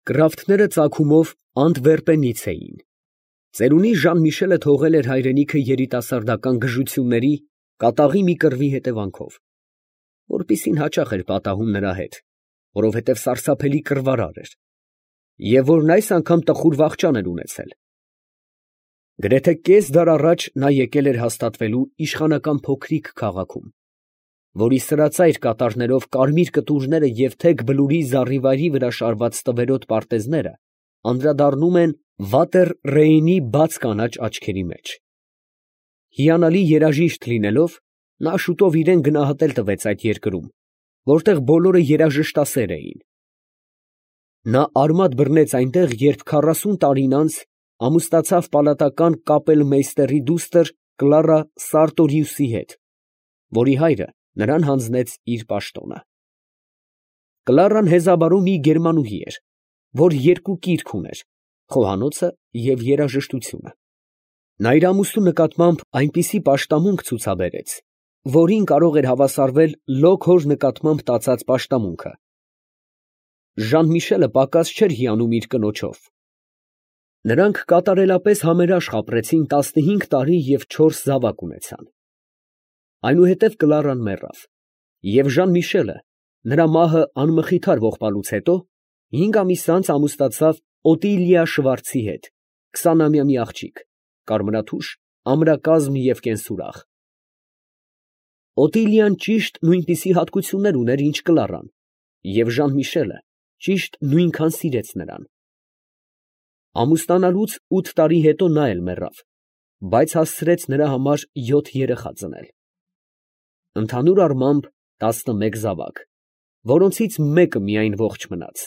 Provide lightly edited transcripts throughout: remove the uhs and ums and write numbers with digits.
Կրավթները ծագումով Անտվերպենից էին։ Ծերունի Ժան֊Միշելը թողել էր հայրենիքը երիտասարդական գժությունների, կատաղի մի կռվի հետևանքով, որպիսին հաճախ էր պատահում նրա հետ, որովհետև սարսափելի կռվարար էր, և որն այս անգամ տխուր վախճան էր ունեցել։ Գրեթե կես դար առաջ նա եկել էր հաստատվելու իշխանական փոքրիկ քաղաքում, որի սրածայր կատարներով կարմիր կտուրները և թեք բլուրի զառիվայրի վրա շարված տվերոտ պարտեզները անդրադառնում են Վատեր Ռեյնի բաց կանաչ աչքերի մեջ։ Հիանալի երաժիշտ լինելով, նա շուտով իրան գնահատել տվեց այդ երկրում, որտեղ բոլորը երաժշտասեր էին։ Նա արմատ բռնեց այնտեղ, երբ 40 տարին անց ամուսնացավ պալատական կապելմեյստերի դուստր Կլարա Սարտորիուսի հետ, որի հայրը նրան հանձնեց իր պաշտոնը։ Կլարան հեզաբարու մի գերմանուհի էր, որ երկու կիրք ուներ, խոհանոցը և երաժշտությունը։ Նա իր ամուսնու նկատմամբ այնպիսի պաշտամունք ցուցաբերեց, որին կարող էր հավասարվել լոկ հոր նկատմամբ տածած պաշտամունքը։ Ժան֊Միշելը պակաս չէր հիանում իր կնոջով։ Նրանք կատարելապես համերաշխ ապրեցին 15 տարի և 4 զավակ ունեցան։ Այնուհետև Կլարան մեռավ, և Ժան֊Միշելը, նրա մահը անմխիթար ողբալուց հետո, 5 ամիս անց ամուսնացավ Օտիլիա Շվարցի հետ, 20-ամյա մի աղջիկ, կարմրաթուշ, ամրակազմ և կենսուրախ։ Օտիլիան ճիշտ նույնպիսի հատկություններ ուներ, ինչ Կլարան, և Ժան֊Միշելը ճիշտ նույնքան սիրեց նրան։ Ամուսնանալուց 8 տարի հետո նա էլ մեռավ, բայց հասցրեց նրա համար 7 երեխա ծնել։ Ընդհանուր առմամբ 11 զավակ, որոնցից մեկը միայն ողջ մնաց։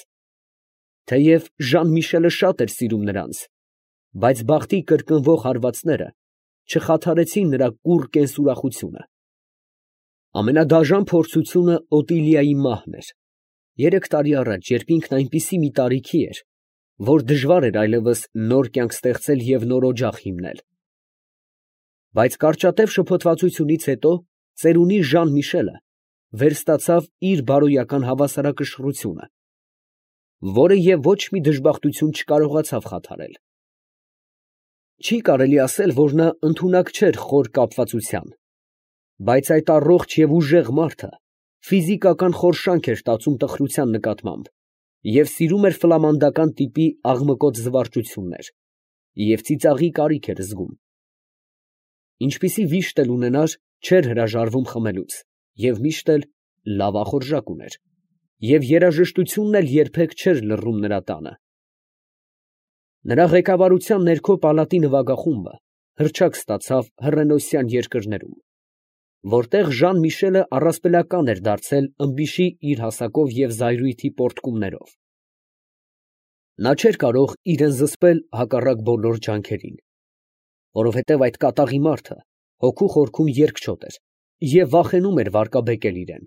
Թեև Ժան֊Միշելը շատ էր սիրում նրանց, բայց բախտի կրկնվող հարվածները չխաթարեցին նրա կուռ կենսուրախությունը։ Ամենադաժան փորձությունը Օտիլիայի մահն էր, 3 տարի առաջ, երբ ինքն այնպիսի մի տարիքի էր, որ դժվար էր այլևս նոր կյանք ստեղծել և նոր օջախ հիմնել։ Բայց կարճատև շփոթվածությունից հետո ծերունի Ժան֊Միշելը վերստացավ իր բարոյական հավասարակշռությունը, որը և ոչ մի դժբախտություն չկարողացավ խաթարել։ Չի կարելի ասել, որ նա ընդունակ չէր խոր կապվածության, բայց այդ առողջ և ուժեղ մարդը ֆիզիկական խորշանք էր տածում տխրության նկատմամբ և սիրում էր ֆլամանդական տիպի աղմկոտ զվարճություններ և ծիծաղի կարիք էր զգում։ Ինչպիսի վիշտ էլ ունենար, չէր հրաժարվում խմելուց և միշտ էլ լավ ախորժակ ուներ, և երաժշտությունն էլ երբեք չէր լռում նրա տանը։ Նրա ղեկավարության ներքո պալատի նվագախումբը հռչակ ստացավ հռենոսյան երկրներում, որտեղ Ժան֊Միշելը առասպելական էր դարձել ըմբիշի իր հասակով և զայրույթի պոռթկումներով։ Նա չէր կարող իրան զսպել հակառակ բոլոր ջանքերին, որովհետև այդ կատաղի մարդը հոգու խորքում երկչոտ էր և վախենում էր վարկաբեկել իրան։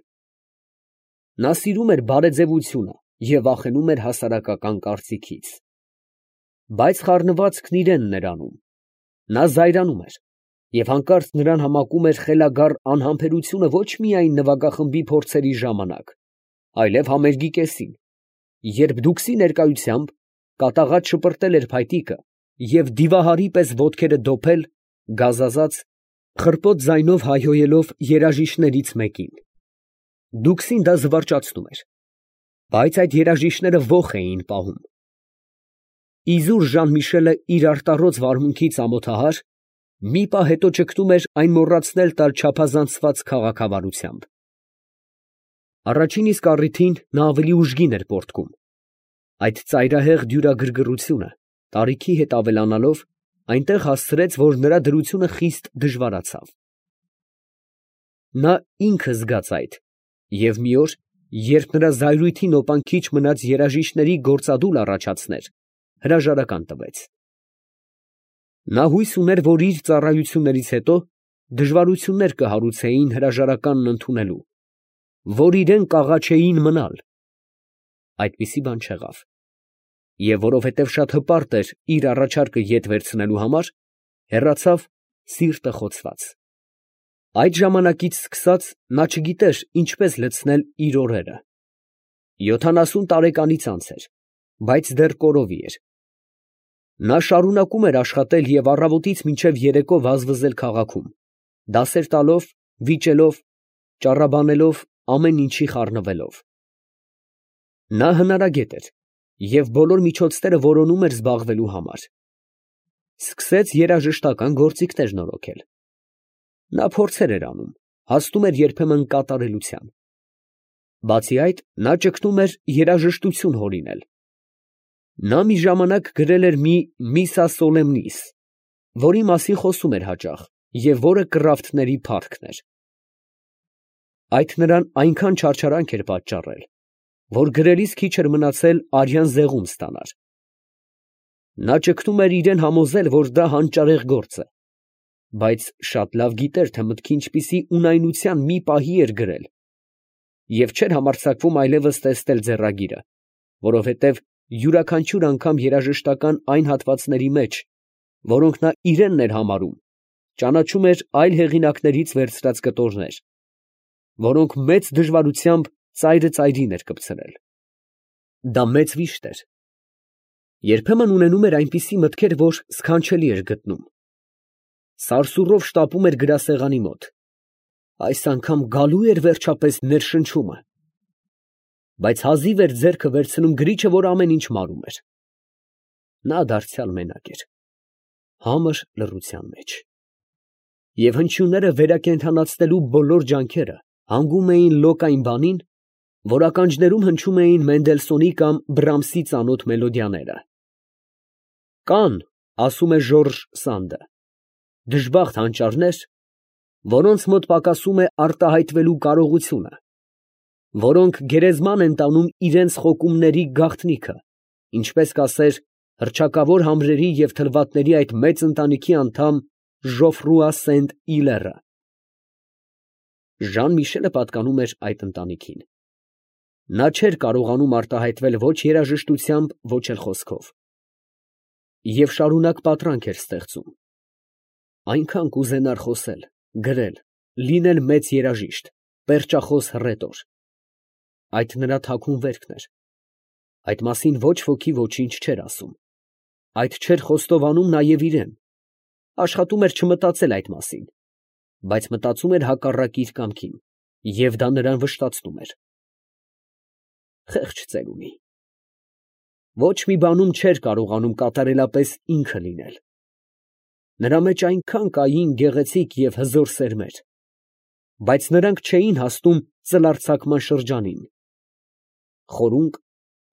Նա սիրում էր բարեձևությունը և վախենում էր հասարակական կարծիքից։ Բայց խառնվածքն իրենն էր անում։ Նա զայրանում էր և հանկարծ նրան համակում էր խելագար անհամբերությունը ոչ միայն նվագախմբի փորձերի ժամանակ, այլև համերգի կեսին, երբ դուքսի ներկայությամբ կատաղած շպրտել էր փայտիկը և դիվահարի պես ոտքերը դոփել, գազազած, խռպոտ ձայնով հայհոյելով երաժիշտներից մեկին։ Դուքսին դա զվարճացնում էր, բայց այդ երաժիշտները ոխ էին պահում։ Իզուր Ժան֊Միշելը իր արտառոց վարմունքից ամոթահար, մի պահ հետո ճգնում էր այն մոռացնել տալ չափազանցված քաղաքավարությամբ։ Առաջին իսկ առիթին նա ավելի ուժգին էր պոռթկում։ Այդ ծայրահեղ դյուրագրգռությունը տարիքի հետ ավելանալով, այնտեղ հասցրեց, որ նրա դրությունը խիստ դժվարացավ։ Նա ինքը զգաց այդ, և մի օր, երբ նրա զայրույթի նոպան քիչ մնաց երաժիշտների գործադուլ առաջացներ, հրաժարական տվեց։ Նա հույս ուներ, որ իր ծառայություններից հետո դժվարություններ կհարուցեին հրաժարականն ընդունելու, որ իրան կաղաչեին մնալ։ Այդպիսի բան չեղավ, և որովհետև շատ հպարտ էր իր առաջարկը ետ վերցնելու համար, հեռացավ սիրտը խոցված։ Այդ ժամանակից սկսած նա չգիտեր ինչպես լցնել իր օրերը։ 70 տարեկանից անց էր, բայց դեռ կորովի էր։ Նա շարունակում էր աշխատել և առավոտից մինչև երեկո վազվզել քաղաքում, դասեր տալով, վիճելով, ճառաբանելով, ամեն ինչի խառնվելով։ Նա հնարագետ էր և բոլոր միջոցները որոնում էր զբաղվելու համար։ Սկսեց երաժշտական գործիքներ նորոգել։ Նա փորձեր էր անում, հասնում էր երբեմն կատարելության։ Բացի այդ, նա ճգնում էր երաժշտություն հորինել։ Նա մի ժամանակ գրել էր մի «Միսա Սոլեմնիս», որի մասին խոսում էր հաճախ և որը կռավթների փառքն էր։ Այդ նրան այնքան չարչարանք էր պատճառել, որ գրելիս քիչ էր մնացել արյան զեղում ստանար։ Նա ճգնում էր իրան համոզել, որ դա հանճարեղ գործ է, բայց շատ լավ գիտեր, թե մտքի ինչպիսի ունայնության մի պահի էր գրել և չէր համարձակվում այլևս տեսնել ձեռագիրը, որովհետև յուրաքանչյուր անգամ երաժշտական այն հատվածների մեջ, որոնք նա իրենն էր համարում, ճանաչում էր այլ հեղինակներից վերցրած կտորներ, որոնք մեծ դժվարությամբ ծայրը ծայրին էր կպցրել։ Դա մեծ վիշտ էր։ Երբեմն ունենում էր այնպիսի մտքեր, որ սքանչելի էր գտնում։ Սարսուռով շտապում էր գրասեղանի մոտ։ Այս անգամ գալու էր վերջապես ներշնչումը։ Բայց հազիվ էր ձեռքը վերցնում գրիչը, որ ամեն ինչ մարում էր։ Նա դարձյալ մենակ էր, համր լռության մեջ։ Եվ հնչյունները վերակենդանացնելու բոլոր ջանքերը հանգում էին լոկային բանին, որ ականջներում հնչում էին Մենդելսոնի կամ Բրամսի ծանոթ մելոդիաները։ Կան, ասում է Ժորժ Սանդը, դժբախտ հանճարներ, որոնց մոտ պակասում է արտահայտվելու կարողությունը, որոնք գերեզման են տանում իրենց խոկումների գաղտնիքը, ինչպես կասեր հռչակավոր համրերի և թլվատների այդ մեծ ընտանիքի անդամ Ժոֆրուա Սենտ Իլերը։ Ժան Միշելը պատկանում էր այդ ընտանիքին։ Նա չէր կարողանում արտահայտվել ոչ երաժշտությամբ, ոչ էլ խոսքով։ Եվ շարունակ պատրանք էր ստեղծում։ Այնքան կուզենար խոսել, գրել, լինել մեծ երաժիշտ, պերճախոս հռետոր։ Այդ նրա թաքուն վերքն էր։ Այդ մասին ոչ ոքի ոչինչ չէր ասում։ Այդ չէր խոստովանում նաև իրեն։ Աշխատում էր չմտածել այդ մասին, բայց մտածում էր հակառակ իր կամքին, և դա նրան վշտացնում էր։ Խեղճ ծերունի։ Ոչ մի բանում չէր կարողանում կատարելապես ինքը լինել։ Նրա մեջ այնքան կային գեղեցիկ և հզոր սերմեր, բայց նրանք չէին հասնում ծլարձակման շրջանին։ Խորունկ,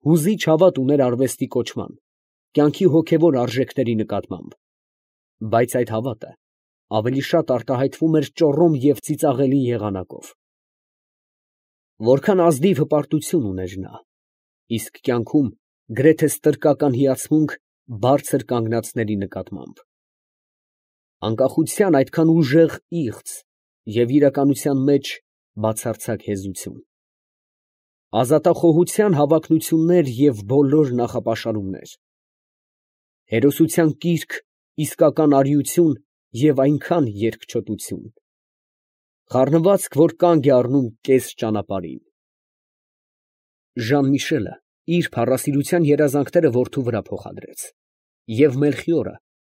հուզիչ հավատ ուներ արվեստի կոչման, կյանքի հոգևոր արժեքների նկատմամբ, բայց այդ հավատը ավելի շատ արտահայտվում էր ճոռոմ և ծիծաղելի եղանակով։ Որքան ազնիվ հպարտություն ուներ նա, իսկ կյանքում գրեթե ստրկական հիացմունք բարձր կանգնածների նկատմամբ։ Անկախության այդքան ուժեղ իղձ և իրականության մեջ բացարձակ հեզություն։ Ազատախոհության հավակնություններ և բոլոր նախապաշարումներ։ Հերոսության կիրք, իսկական արիություն և այնքան երկչոտություն։ Խառնվածք, որ կանգ է առնում կես ճանապարհին։ Ժան Միշելը իր փառասիրության երազանքները որդու վրա փոխադրեց, և Մելխիորը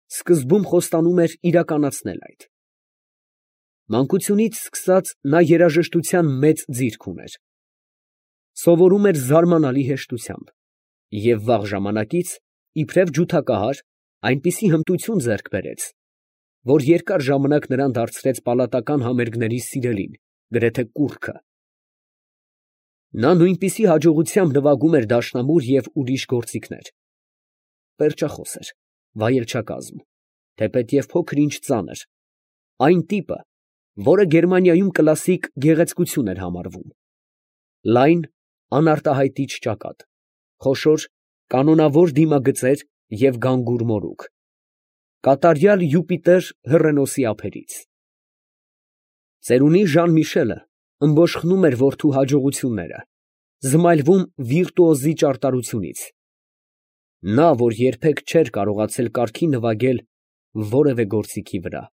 սկզբում խոստանում էր իրականացնել այդ։ Մանկությունից սկսած նա երաժշտության մեծ ձիրք ուներ։ Սովորում էր զարմանալի հեշտությամբ և վաղ ժամանակից, իբրև ջութակահար, այնպիսի հմտություն ձեռք բերեց, որ երկար ժամանակ նրան դարձրեց պալատական համերգների սիրելին, գրեթե կուռքը։ Նա նույնպիսի հաջողությամբ նվագում էր դաշնամուր և ուրիշ գործիքներ։ Պերճախոս էր, վայելչակազմ, թեպետև փոքր֊ինչ ծանր, այն տիպը, որը Գերմանիայում կլասիկ գեղեցկություն էր համարվում։ Լայն, անարտահայտիչ ճակատ, խոշոր, կանոնավոր դիմագծեր և գանգուր մորուք։ Կատարյալ Յուպիտեր հռենոսի ափերից։ Ծերունի Ժան Միշելը ըմբոշխնում էր որդու հաջողությունները, զմայլվում վիրտուոզի ճարտարությունից։ Նա, որ երբեք չէր կարողացել կարգին նվագել որևէ գործիքի վրա։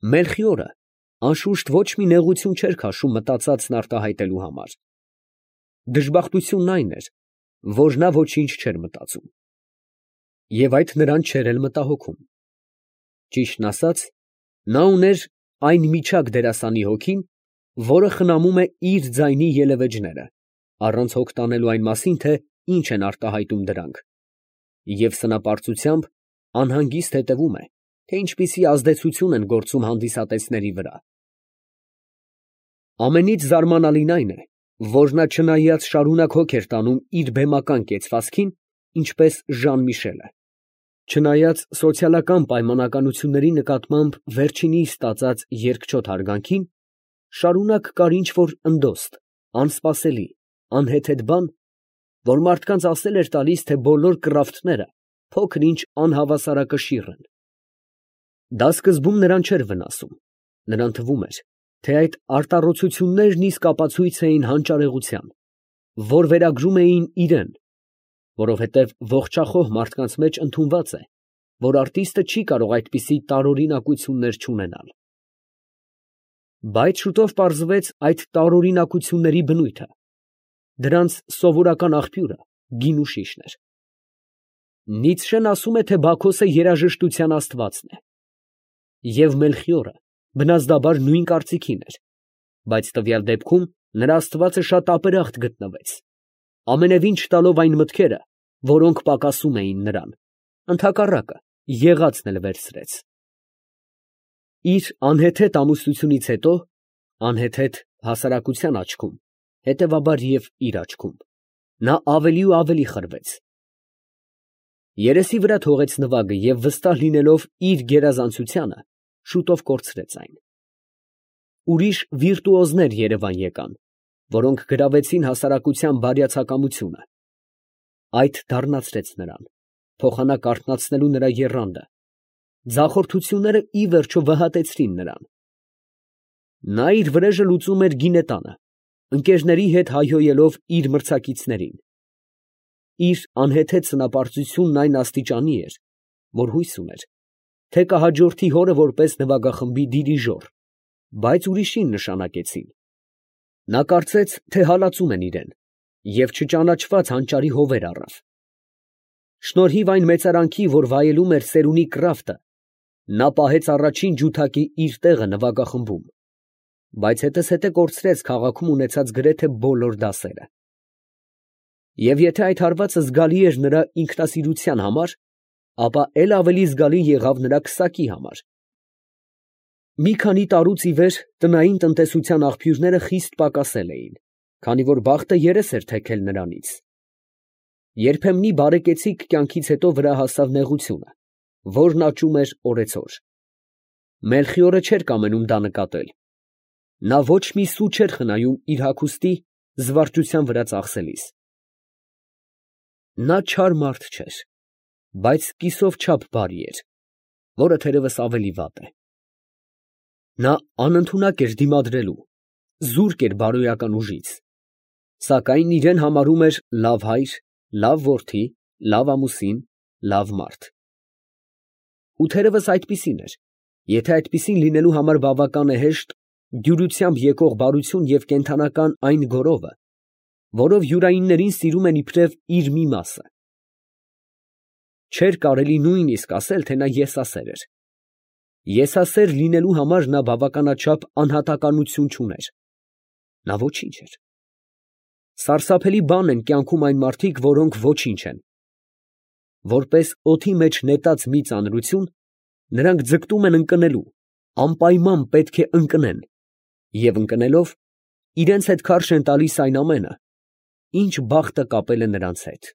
Մելխիորը անշուշտ ոչ մի նեղություն չէր քաշում մտածածն արտահայտելու համար։ Դժբախտությունն այն էր, որ նա ոչինչ չէր մտածում, և այդ նրան չէր էլ մտահոգում. ճիշտն ասած, նա ուներ այն միջակ դերասանի հոգին, որը խնամում է իր ձայնի ելևէջները, առանց հոգ տանելու այն մասին, թե ինչ են արտահայտում դրանք, և սնապարծությամբ անհանգիստ հետևում է, թե ինչպիսի ազդեցություն են գործում հանդիսատեսների վրա։ Ամենից զարմանալին այն է, որ նա չնայած շարունակ հոգ էր տանում իր բեմական կեցվածքին, ինչպես Ժան֊Միշելը, չնայած սոցիալական պայմանականությունների նկատմամբ վերջինիս ստացած երկչոտ հարգանքին, շարունակ կար ինչ֊որ ընդոստ, անսպասելի, անհեթեթ բան, որ մարդկանց ասել էր տալիս, թե բոլոր կռավթները փոքր-ինչ անհավասարակշիռ են։ Դա սկզբում նրան չէր վնասում, նրան թվում էր, թե այդ արտառոցություններն իսկ ապացույց էին հանճարեղության, որ վերագրում էին իրան, որովհետև ողջախոհ մարդկանց մեջ ընդունված է, որ արտիստը չի կարող այդպիսի տարօրինակություններ չունենալ։ Բայց շուտով պարզվեց այդ տարօրինակությունների բնույթը, դրանց սովորական աղբյուրը գինուշիշն էր։ Նիցշեն ասում է, թե Բաքոսը երաժշտության աստվածն է, և Մելխիորը բնազդաբար նույն կարծիքին էր, բայց տվյալ դեպքում նրա աստվածը շատ ապերախտ գտնվեց, ամենևին չտալով այն մտքերը, որոնք պակասում էին նրան, ընդհակառակը, եղածն էլ վերցրեց։ Իր անհեթեթ ամուսնությունից հետո, անհեթեթ հասարակության աչքում, հետևաբար և իր աչքում, նա ավելի ու ավելի խրվեց։ Երեսի վրա թողեց նվագը և վստահ լինելով իր գերազանցությանը, շուտով կորցրեց այն։ Ուրիշ վիրտուոզներ երևան եկան, որոնք գրավեցին հասարակության բարյացակամությունը։ Այդ դառնացրեց նրան, փոխանակ արթնացնելու նրա եռանդը, ձախորդությունները ի վերջո վհատեցրին նրան։ Նա իր վրեժը լուծում էր գինետանը, ընկերների հետ հայհոյելով իր մրցակիցներին։ Իր անհեթեթ սնապարծությունն այն աստիճանի էր, որ հույս ուներ, թե կհաջորդի հորը որպես նվագախմբի դիրիժոր, բայց ուրիշին նշանակեցին։ Նա կարծեց, թե հալածում են իրան, և չճանաչված հանճարի հովեր առավ։ Շնորհիվ այն մեծարանքի, որ վայելում էր սերունի կռավտը, նա պահեց առաջին ջութակի իր տեղը նվագախմբում, բայց հետզհետե կորցրեց քաղաքում ունեցած գրեթե բոլոր դասերը։ Եվ եթե այդ հարվածը զգալի էր նրա ինքնասիրության համար, ապա էլ ավելի զգալի եղավ նրա քսակի համար։ Մի քանի տարուց ի վեր տնային տնտեսության աղբյուրները խիստ պակասել էին, քանի որ բախտը երես էր թեքել նրանից։ Երբեմնի բարեկեցիկ կյանքից հետո վրա հասավ նեղությունը, որն աճում էր օրեցօր։ Մելխիորը չէր կամենում դա նկատել։ Նա ոչ մի սու չէր խնայում իր հագուստի զվարճության վրա ծախսելիս։ Նա չար մարդ չէր, բայց կիսով չափ բարի էր, որը թերևս ավելի վատ է։ Նա անընդունակ էր դիմադրելու, զուրկ էր բարոյական ուժից, սակայն իրան համարում էր լավ հայր, լավ որդի, լավ ամուսին, լավ մարդ։ Ու թերևս այդպիսին էր, եթե այդպիսին լինելու համար բավական է հեշտ դյուրությամբ եկող բարություն և կենդանական այն գորովը, որով յուրայիններին սիրում են իբրև իր մի մասը։ Չէր կարելի նույնիսկ ասել, թե նա եսասեր էր։ Եսասեր լինելու համար նա բավականաչափ անհատականություն չուներ։ Նա ոչինչ էր։ Սարսափելի բան են կյանքում այն մարդիկ, որոնք ոչինչ են։ Որպես օդի մեջ նետած մի ծանրություն, նրանք ձգտում են ընկնելու, անպայման պետք է ընկնեն, և ընկնելով, իրենց հետ քարշ են տալիս այն ամենը, ինչ բախտը կապել է նրանց հետ։